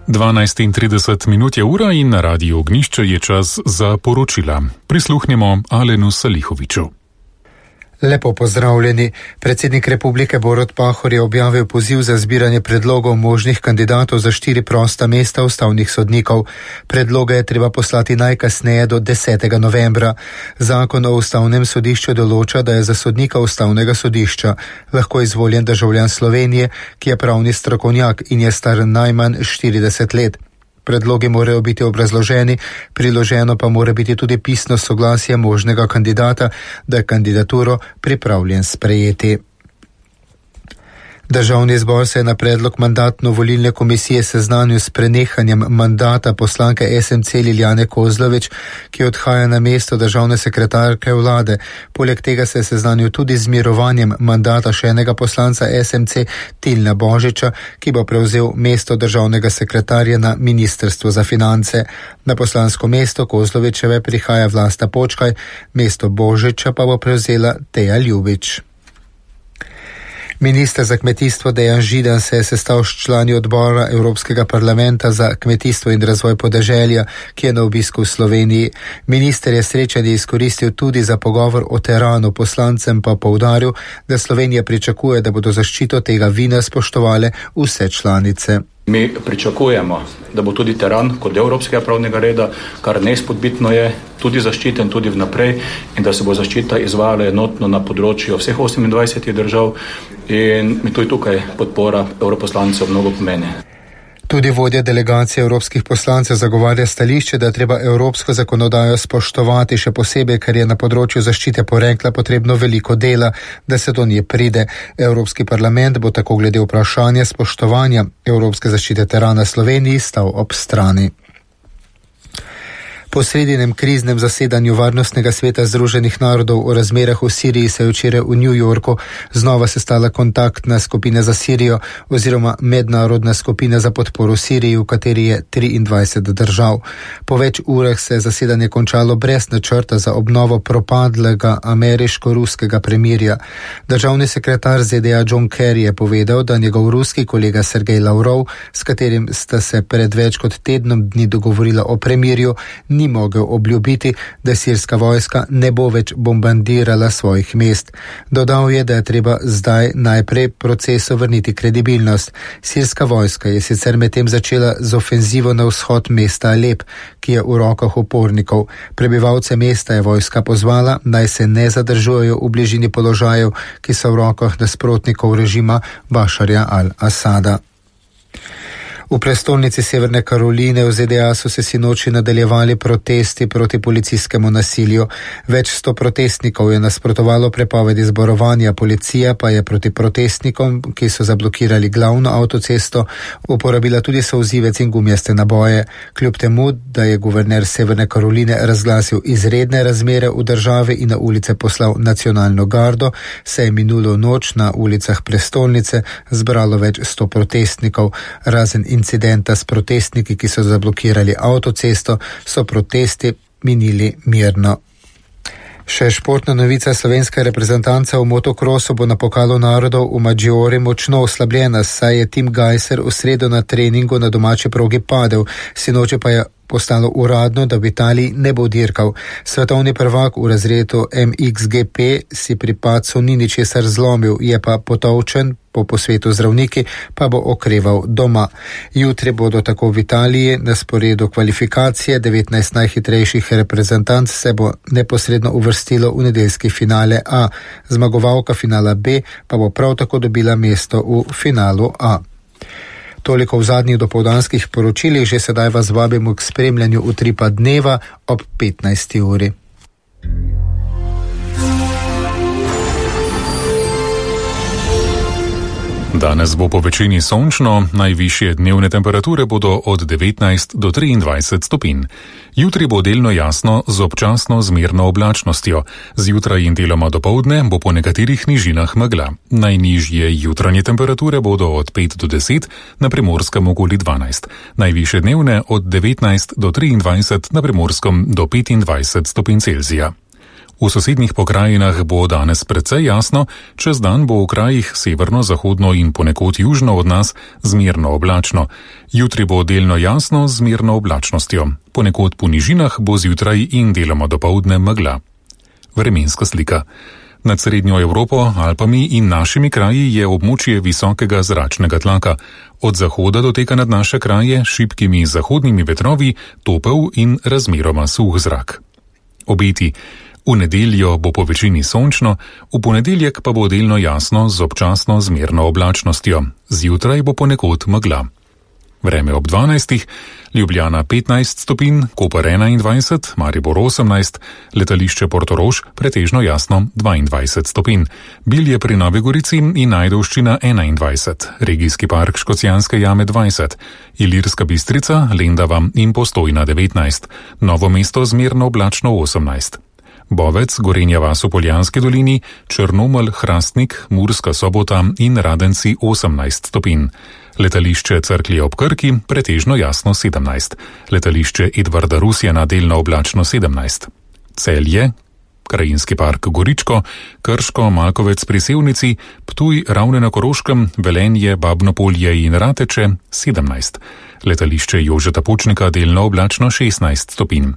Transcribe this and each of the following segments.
12:30 je ura in na Radiu Ognjišče je čas za poročila. Prisluhnemo Alenu Salihoviču. Lepo pozdravljeni. Predsednik republike Borut Pahor je objavil poziv za zbiranje predlogov možnih kandidatov za 4 prosta mesta ustavnih sodnikov. Predloge je treba poslati najkasneje do 10. novembra. Zakon o ustavnem sodišču določa, da je za sodnika ustavnega sodišča lahko izvoljen državljan Slovenije, ki je pravni strokovnjak in je star najmanj 40 let. Predlogi morajo biti obrazloženi, priloženo pa mora biti tudi pisno soglasje možnega kandidata, da je kandidaturo pripravljen sprejeti. Državni zbor se je na predlog mandatno-volilne komisije seznanil s prenehanjem mandata poslanke SMC Lilijane Kozlovič, ki odhaja na mesto državne sekretarke vlade. Poleg tega se je seznanil tudi z mirovanjem mandata še enega poslanca SMC Tilna Božiča, ki bo prevzel mesto državnega sekretarja na Ministrstvu za finance. Na poslansko mesto Kozlovičeve prihaja Vlasta Počkaj, mesto Božiča pa bo prevzela Teja Ljubič. Minister za kmetijstvo Dejan Židan se je sestal s člani odbora Evropskega parlamenta za kmetijstvo in razvoj podeželja, ki je na obisku v Sloveniji. Minister je srečanje izkoristil tudi za pogovor o teranu, poslancem pa poudaril, da Slovenija pričakuje, da bodo zaščito tega vina spoštovale vse članice. Mi pričakujemo, da bo tudi teran kot del evropskega pravnega reda, kar neizpodbitno je, tudi zaščiten tudi vnaprej in da se bo zaščita izvajala enotno na področju vseh 28 držav in mi tudi tukaj podpora evroposlancev mnogo pomeni. Tudi vodja delegacije evropskih poslancev zagovarja stališče, da je treba evropsko zakonodajo spoštovati, še posebej, ker je na področju zaščite porekla potrebno veliko dela, da se do nje pride. Evropski parlament bo tako glede vprašanja spoštovanja evropske zaščite terana Sloveniji stal ob strani. Po sredinem kriznem zasedanju Varnostnega sveta Združenih narodov o razmerah v Siriji se je včeraj v New Yorku znova sestala kontaktna skupina za Sirijo oziroma mednarodna skupina za podporo Siriji, v kateri je 23 držav. Po več urah se je zasedanje končalo brez načrta za obnovo propadlega ameriško-ruskega premirja. Državni sekretar ZDA John Kerry je povedal, da njegov ruski kolega Sergej Lavrov, s katerim sta se pred več kot tednom dni dogovorila o premirju, ni mogel obljubiti, da sirska vojska ne bo več bombardirala svojih mest. Dodal je, da je treba zdaj najprej procesu vrniti kredibilnost. Sirska vojska je sicer medtem začela z ofenzivo na vzhod mesta Alep, ki je v rokah upornikov. Prebivalce mesta je vojska pozvala, naj se ne zadržujejo v bližini položajev, ki so v rokah nasprotnikov režima Bašarja al-Asada. V prestolnici Severne Karoline v ZDA so se sinoči nadaljevali protesti proti policijskemu nasilju. Več 100 protestnikov je nasprotovalo prepovedi zborovanja, policija pa je proti protestnikom, ki so zablokirali glavno avtocesto, uporabila tudi solzivec in gumijaste naboje. Kljub temu, da je guverner Severne Karoline razglasil izredne razmere v državi in na ulice poslal nacionalno gardo, se je minulo noč na ulicah prestolnice zbralo več 100 protestnikov. Razen incidenta s protestniki, ki so zablokirali avtocesto, so protesti minili mirno. Še športna novica: slovenska reprezentanca v motokrosu bo na pokalu narodov v Maggiore močno oslabljena, saj je Tim Gajser v sredo na treningu na domači progi padel, sinoči pa je postalo uradno, da v Italiji ne bo dirkal. Svetovni prvak v razredu MXGP si pri padcu ni ničesar zlomil, je pa potolčen, po posvetu zdravniki pa bo okreval doma. Jutri bodo tako v Italiji na sporedu kvalifikacije. 19 najhitrejših reprezentanc se bo neposredno uvrstilo v nedeljski finale A. Zmagovalka finala B pa bo prav tako dobila mesto v finalu A. Toliko v zadnjih dopoldanskih poročilih, že sedaj vas vabimo k spremljanju utripa dneva ob 15. uri. Danes bo po večini sončno, najvišje dnevne temperature bodo od 19 do 23 stopinj. Jutri bo delno jasno z občasno zmerno oblačnostjo. Zjutraj in deloma dopoldne bo po nekaterih nižinah megla. Najnižje jutranje temperature bodo od 5 do 10, na Primorskem okoli 12. Najvišje dnevne od 19 do 23, na Primorskem do 25 stopinj Celzija. V sosednjih pokrajinah bo danes precej jasno, čez dan bo v krajih severno, zahodno in ponekod južno od nas zmerno oblačno. Jutri bo delno jasno z zmerno oblačnostjo. Ponekod po nižinah bo zjutraj in deloma dopoldne megla. Vremenska slika. Nad srednjo Evropo, Alpami in našimi kraji je območje visokega zračnega tlaka. Od zahoda doteka nad naše kraje šibkimi zahodnimi vetrovi topel in razmeroma suh zrak. Obeti. V nedeljo bo po večini sončno, v ponedeljek pa bo delno jasno z občasno zmerno oblačnostjo. Zjutraj bo ponekod megla. Vreme ob 12. Ljubljana 15 stopinj, Koper 21, Maribor 18, letališče Portorož pretežno jasno 22 stopinj, Bilje pri Novi Gorici in Ajdovščina 21, regijski park Škocjanske jame 20, Ilirska Bistrica, Lendava in Postojna 19, Novo mesto zmerno oblačno 18. Bovec, Gorenja vas v Poljanski dolini, Črnomelj, Hrastnik, Murska Sobota in Radenci 18 stopinj. Letališče Cerklje ob Krki pretežno jasno 17. Letališče Edvarda Rusjana delno oblačno 17. Celje, krajinski park Goričko, Krško, Malkovec pri Sevnici, Ptuj, Ravne na Koroškem, Velenje, Babnopolje in Rateče 17. Letališče Jožeta Pučnika delno oblačno 16 stopinj.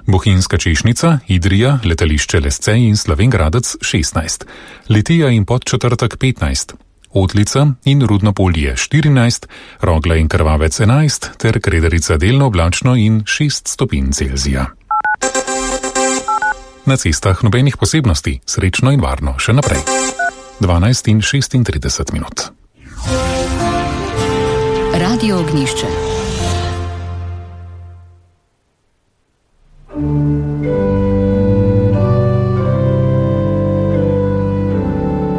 Bohinjska Češnica, Idrija, letališče Lesce in Slovenj Gradec 16. Litija in Podčetrtek 15. Otlica in Rudnopolje 14, Rogla in Krvavec 11 ter Krederica delno oblačno in 6 stopinj Celzija. Na cestah nobenih posebnosti, srečno in varno še naprej. 12 in 36 minut. Radio Ognjišče.